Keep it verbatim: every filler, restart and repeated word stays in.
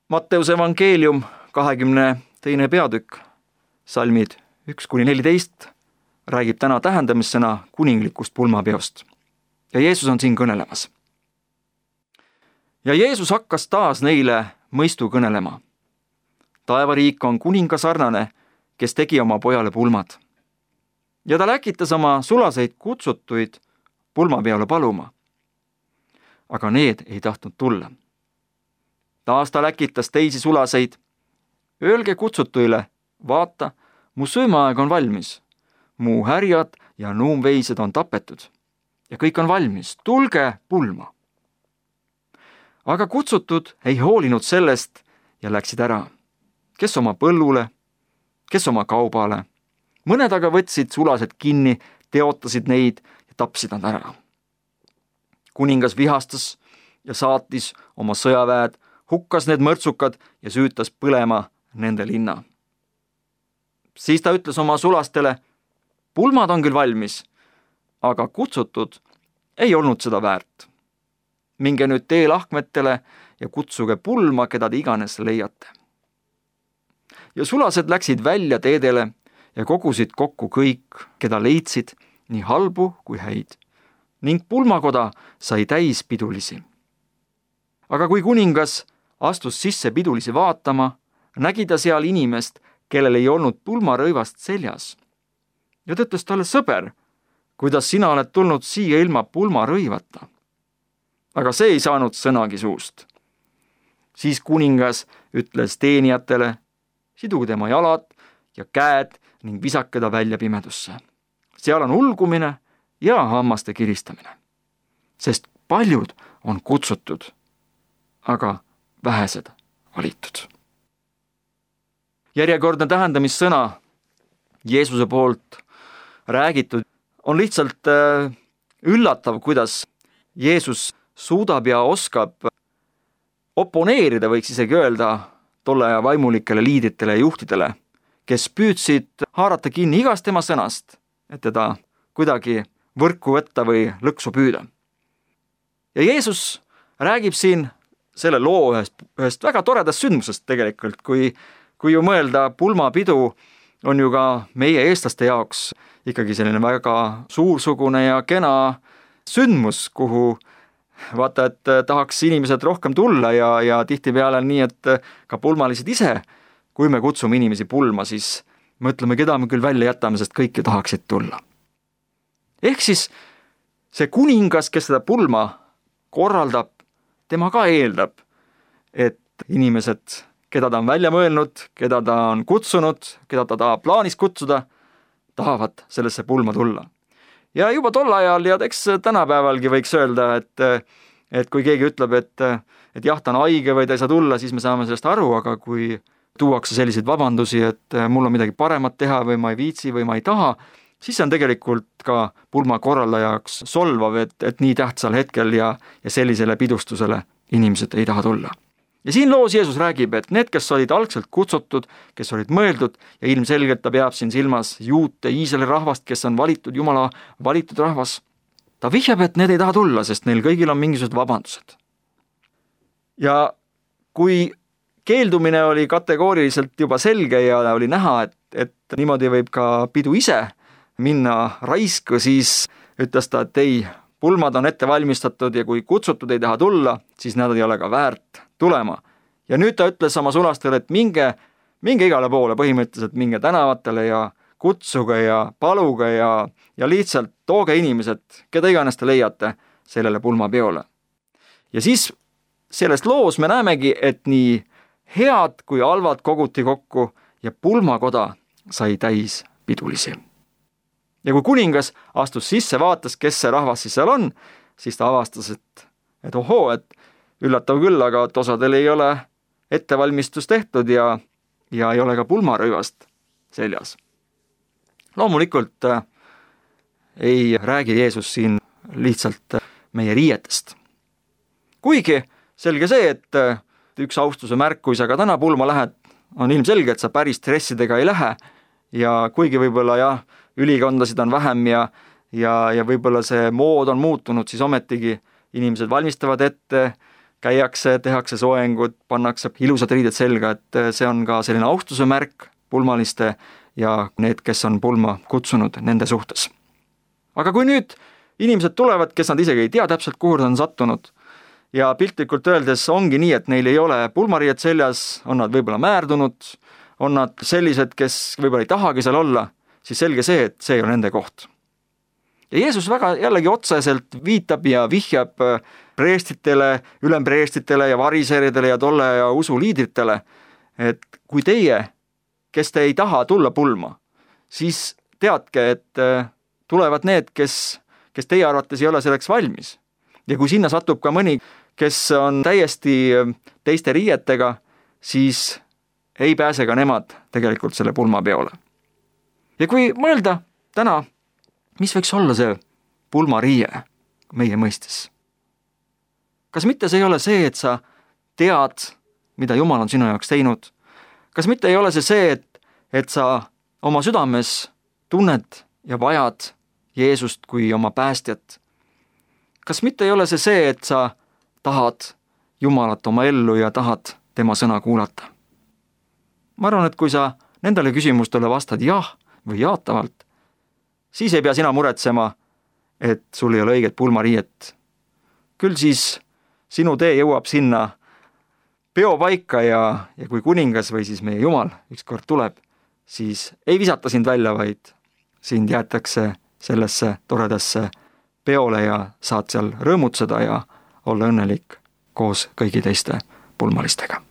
Matteuse evangeelium kahekümne teine peatükk, salmid üks kuni neliteist, räägib täna tähendamissõna kuninglikust pulmapeost. Ja Jeesus on siin kõnelemas. Ja Jeesus hakkas taas neile mõistu kõnelema. Taevariik on kuninga sarnane, kes tegi oma pojale pulmad. Ja ta läkitas oma sulaseid kutsutuid pulmapeole paluma. Aga need ei tahtnud tulla. Taas ta läkitas teisi sulaseid. Öelge kutsutuile, vaata, mu söömaaeg on valmis. Mu härjad ja nuumveised on tapetud. Ja kõik on valmis, tulge pulma. Aga kutsutud ei hoolinud sellest ja läksid ära. Kes oma põllule, kes oma kaubale. Mõned aga võtsid sulased kinni, teotasid neid ja tapsid nad ära. Kuningas vihastas ja saatis oma sõjaväed, hukkas need mõrtsukad ja süütas põlema nende linna. Siis ta ütles oma sulastele, pulmad on küll valmis, aga kutsutud ei olnud seda väärt. Minge nüüd teelahkmetele ja kutsuge pulma, keda te iganes leiate. Ja sulased läksid välja teedele ja kogusid kokku kõik, keda leidsid, nii halbu kui häid, ning pulmakoda sai täis pidulisi. Aga kui kuningas astus sisse pidulisi vaatama, nägi ta seal inimest, kellel ei olnud pulmarõivast seljas. Ja ta ütles talle, sõber, kuidas sina oled tulnud siia ilma pulmarõivata? Aga see ei saanud sõnagi suust. Siis kuningas ütles teenijatele, siduge tema jalad ja käed ning visake ta välja pimedusse. Seal on ulgumine ja hammaste kiristamine, sest paljud on kutsutud, aga vähesed valitud. Järjekordne tähendamissõna Jeesuse poolt räägitud on lihtsalt üllatav, kuidas Jeesus suudab ja oskab oponeerida, võiks isegi öelda, tolle aja vaimulikele liidritele ja juhtidele, kes püüdsid haarata kinni igast tema sõnast, et teda kuidagi võrku võtta või lõksu püüda. Ja Jeesus räägib siin selle loo ühest, ühest väga toredast sündmusest tegelikult, kui, kui ju mõelda, pulmapidu on ju ka meie eestlaste jaoks ikkagi selline väga suursugune ja kena sündmus, kuhu vaata, et tahaks inimesed rohkem tulla ja, ja tihtipeale nii, et ka pulmalised ise, kui me kutsume inimesi pulma, siis mõtleme, keda me küll välja jätame, sest kõik ju tahaksid tulla. Ehk siis see kuningas, kes seda pulma korraldab, tema ka eeldab, et inimesed, keda ta on välja mõelnud, keda ta on kutsunud, keda ta tahab plaanis kutsuda, tahavad sellesse pulma tulla. Ja juba tol ajal ja eks tänapäevalgi võiks öelda, et, et kui keegi ütleb, et, et jah, ta on haige või ta ei saa tulla, siis me saame sellest aru, aga kui tuuakse selliseid vabandusi, et mul on midagi paremat teha või ma ei viitsi või ma ei taha, siis on tegelikult ka pulma korraldajaks solvav, et, et nii tähtsal hetkel ja, ja sellisele pidustusele inimesed ei taha tulla. Ja siin loos Jeesus räägib, et need, kes olid algselt kutsutud, kes olid mõeldud ja ilmselgelt ta peab siin silmas juute Iisraeli rahvast, kes on valitud Jumala valitud rahvas, ta vihjab, et need ei taha tulla, sest neil kõigil on mingisugused vabandused. Ja kui keeldumine oli kategooriliselt juba selge ja oli näha, et, et niimoodi võib ka pidu ise minna raisku, siis ütles ta, et ei, pulmad on ette valmistatud ja kui kutsutud ei taha tulla, siis nad ei ole ka väärt tulema. Ja nüüd ta ütles oma sulastele, et minge, minge igale poole põhimõtteliselt, minge tänavatele ja kutsuge ja paluge ja, ja lihtsalt tooge inimesed, keda iganes te leiate sellele pulmapeole. Ja siis sellest loos me näemegi, et nii head kui halvad koguti kokku ja pulmakoda sai täis pidulisi. Ja kui kuningas astus sisse, vaatas, kes see rahvas siis seal on, siis ta avastas, et, et ohoo, et üllatav küll, aga et osadel ei ole ettevalmistus tehtud ja, ja ei ole ka pulmarõivast seljas. Loomulikult äh, ei räägi Jeesus siin lihtsalt meie riietest. Kuigi selge see, et äh, üks austuse märk, kui sa ka täna pulma lähed, on ilmselge, et sa päris stressidega ei lähe ja kuigi võib-olla jah, ülikondasid on vähem ja, ja, ja võib-olla see mood on muutunud, siis ometigi inimesed valmistavad ette, käiakse, tehakse soengud, pannakse ilusad riided selga, et see on ka selline austuse märk pulmaliste ja need, kes on pulma kutsunud nende suhtes. Aga kui nüüd inimesed tulevad, kes nad isegi ei tea täpselt, kuhu nad on sattunud ja piltlikult öeldes ongi nii, et neil ei ole pulmariiet seljas, on nad võib-olla määrdunud, on nad sellised, kes võib-olla ei tahagi seal olla, siis selge see, et see ei ole nende koht. Ja Jeesus väga jällegi otseselt viitab ja vihjab preestitele, ülempreestitele ja variseridele ja tolle ja usuliidritele, et kui teie, kes te ei taha tulla pulma, siis teadke, et tulevad need, kes, kes teie arvates ei ole selleks valmis. Ja kui sinna satub ka mõni, kes on täiesti teiste riietega, siis ei pääse ka nemad tegelikult selle pulmapeole. Ja kui mõelda täna, mis võiks olla see pulmariie meie mõistes? Kas mitte see ei ole see, et sa tead, mida Jumal on sinu jaoks teinud? Kas mitte ei ole see see, et, et sa oma südames tunned ja vajad Jeesust kui oma päästjat? Kas mitte ei ole see see, et sa tahad Jumalat oma ellu ja tahad tema sõna kuulata? Ma arvan, et kui sa nendele küsimustele vastad jah või jaatavalt, siis ei pea sina muretsema, et sul ei ole õiget pulmariiet. Küll siis sinu tee jõuab sinna peopaika ja, ja kui kuningas või siis meie Jumal ükskord tuleb, siis ei visata sind välja, vaid sind jäetakse sellesse toredasse peole ja saad seal rõõmutseda ja olla õnnelik koos kõigi teiste pulmalistega.